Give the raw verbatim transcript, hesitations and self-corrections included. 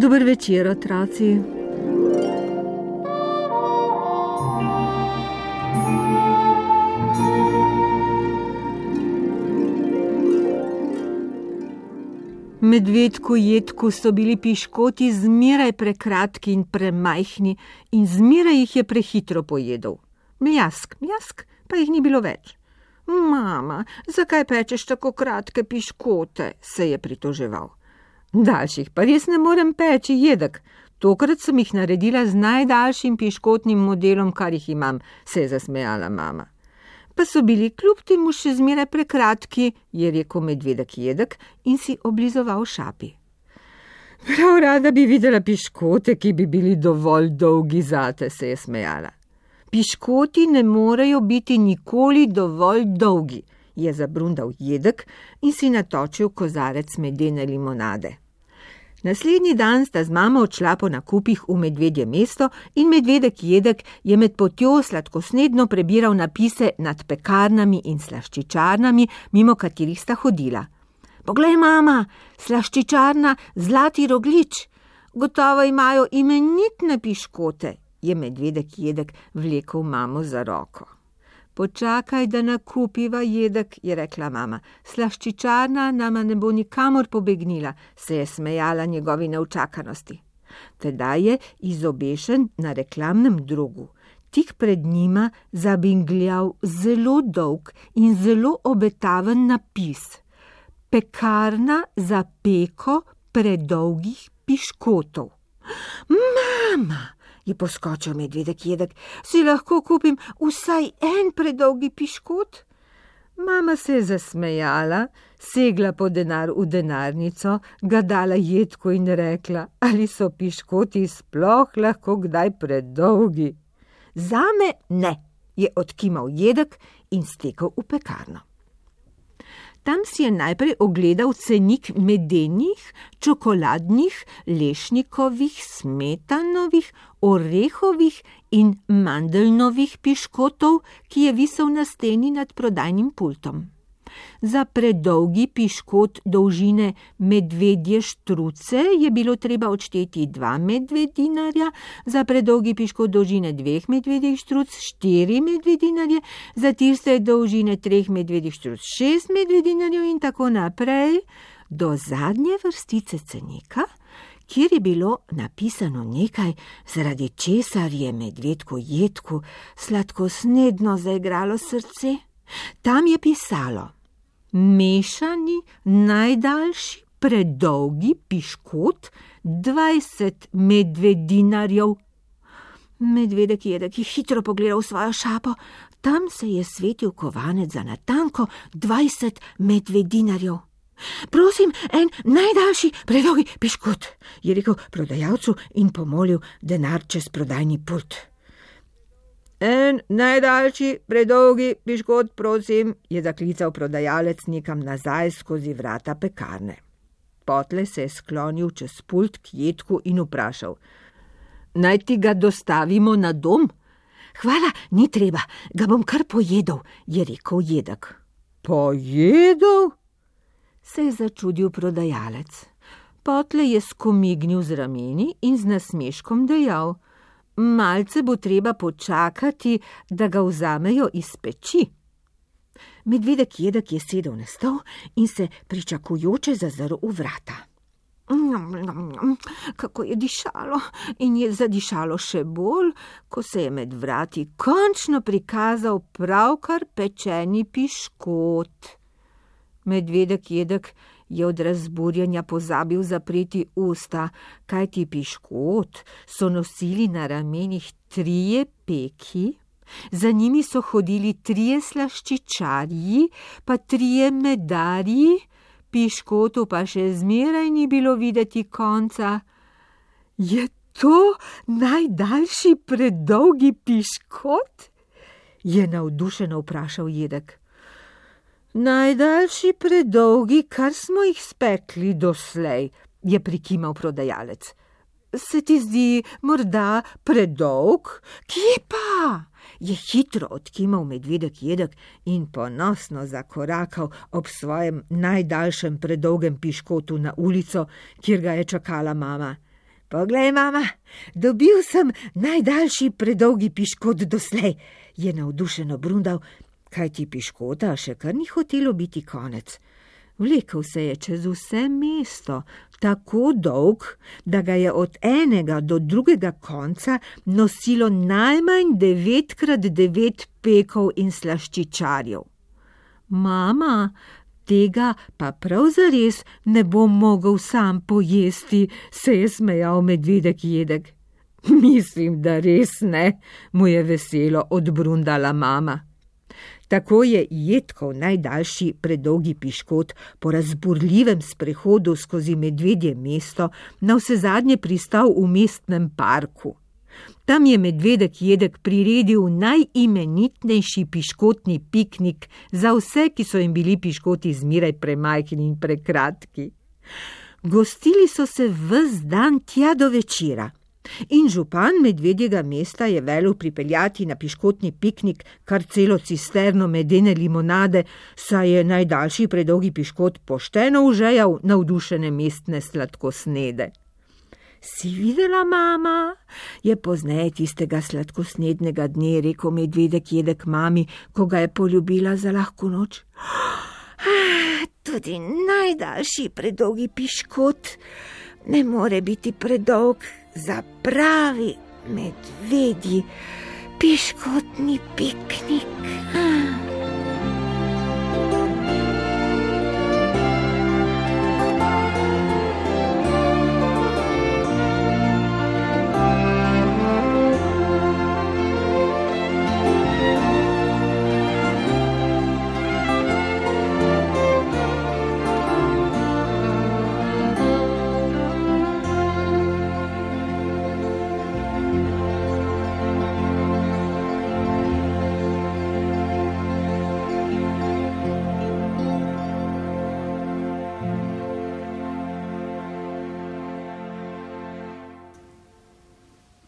Dober večer, otroci. Medvedku Jedku so bili piškoti zmeraj prekratki in premajhni in zmeraj jih je prehitro pojedel. Mljask, mljask, pa jih ni bilo več. Mama, zakaj pečeš tako kratke piškote, se je pritoževal. Daljših pa res ne morem peči, Jedek. Tokrat sem jih naredila z najdaljšim piškotnim modelom, kar jih imam, se je zasmejala mama. Pa so bili kljub temu še zmeraj prekratki, je rekel medvedek Jedek in si oblizoval šapi. Prav rada bi videla piškote, ki bi bili dovolj dolgi zate, se je smejala. Piškoti ne morejo biti nikoli dovolj dolgi, je zabrundal Jedek in si natočil kozarec medene limonade. Naslednji dan sta z mamo odšla po nakupih v Medvedje mesto in medvedek Jedek je med potjo sladkosnedno prebiral napise nad pekarnami in slaščičarnami, mimo katerih sta hodila. Poglej, mama, slaščičarna Zlati roglič. Gotovo imajo imenitne piškote, je medvedek Jedek vlekel mamo za roko. Počakaj, da nakupiva, Jedek, je rekla mama. Slaščičarna nama ne bo nikamor pobegnila, se je smejala njegovi neučakanosti. Tedaj je izobešen na reklamnem drogu tik pred njima zabingljal zelo dolg in zelo obetaven napis. Pekarna za peko predolgih piškotov. Mama, je poskočil medvedek Jedek, si lahko kupim vsaj en predolgi piškot? Mama se je zasmejala, segla po denar v denarnico, ga dala Jedku in rekla, ali so piškoti sploh lahko kdaj predolgi. Zame ne, je odkimal Jedek in stekel v pekarno. Tam si je najprej ogledal cenik medenih, čokoladnih, lešnikovih, smetanovih, orehovih in mandeljnovih piškotov, ki je visel na steni nad prodajnim pultom. Za predolgi piškot dolžine medvedje štruce je bilo treba odšteti dva medvedinarja, za predolgi piškot dolžine dveh medvedjih štruc štiri medvedinarje, za tiste dolžine treh medvedjih štruc šest medvedinarjev in tako naprej, do zadnje vrstice cenika, kjer je bilo napisano nekaj, zaradi česar je medvedku Jedku sladkosnedno zaigralo srce. Tam je pisalo: mešani najdaljši predolgi piškot dvajset medvedinarjev. Medvedek Jedek je hitro pogledal svojo šapo, tam se je svetil kovanec za natanko dvajset medvedinarjev. Prosim, en najdaljši predolgi piškot, je rekel prodajalcu in pomolil denar čez prodajni pult. En najdaljši predolgi piškot, prosim, je zaklical prodajalec nekam nazaj skozi vrata pekarne. Potlej se je sklonil čez pult k Jedku in vprašal: naj ti ga dostavimo na dom? Hvala, ni treba, ga bom kar pojedel, je rekel Jedek. Pojedel? Se je začudil prodajalec. Potlej je skomignil z rameni in z nasmeškom dejal: malce bo treba počakati, da ga vzamejo iz peči. Medvedek Jedek je sedel na stol in se pričakujoče zazrl v vrata. Kako je dišalo in je zadišalo še bolj, ko se je med vrati končno prikazal pravkar pečeni piškot. Medvedek Jedek je od razburjenja pozabil zapreti usta, kajti piškot so nosili na ramenih trije peki, za njimi so hodili trije slaščičarji, pa trije medarji, piškotu pa še zmeraj ni bilo videti konca. Je to najdaljši predolgi piškot? Je navdušeno vprašal Jedek. Najdaljši predolgi, kar smo jih spekli doslej, je prikimal prodajalec. Se ti zdi morda predolg? Kje pa? Je hitro odkimal medvedek Jedek in ponosno zakorakal ob svojem najdaljšem predolgem piškotu na ulico, kjer ga je čakala mama. Poglej, mama, dobil sem najdaljši predolgi piškot doslej, je navdušeno brundal, kajti piškota še kar ni hotelo biti konec. Vlekel se je čez vse mesto, tako dolg, da ga je od enega do drugega konca nosilo najmanj devet krat devet pekov in slaščičarjev. Mama, tega pa prav zares ne bom mogel sam pojesti, se je smejal medvedek Jedek. Mislim, da res ne, mu je veselo odbrundala mama. Tako je Jedkov najdaljši predolgi piškot po razburljivem sprehodu skozi medvedje mesto navsezadnje pristal v mestnem parku. Tam je medvedek Jedek priredil najimenitnejši piškotni piknik za vse, ki so jim bili piškoti zmeraj premajhni in prekratki. Gostili so se ves dan tja do večera. In župan medvedjega mesta je velel pripeljati na piškotni piknik kar celo cisterno medene limonade, saj je najdaljši predolgi piškot pošteno užejal navdušene mestne sladkosnede. Si videla, mama? Je pozneje tistega sladkosnednega dne rekel medvedek Jedek mami, ko ga je poljubila za lahko noč. Ah, tudi najdaljši predolgi piškot ne more biti predolg za pravi medvedji piškotni piknik.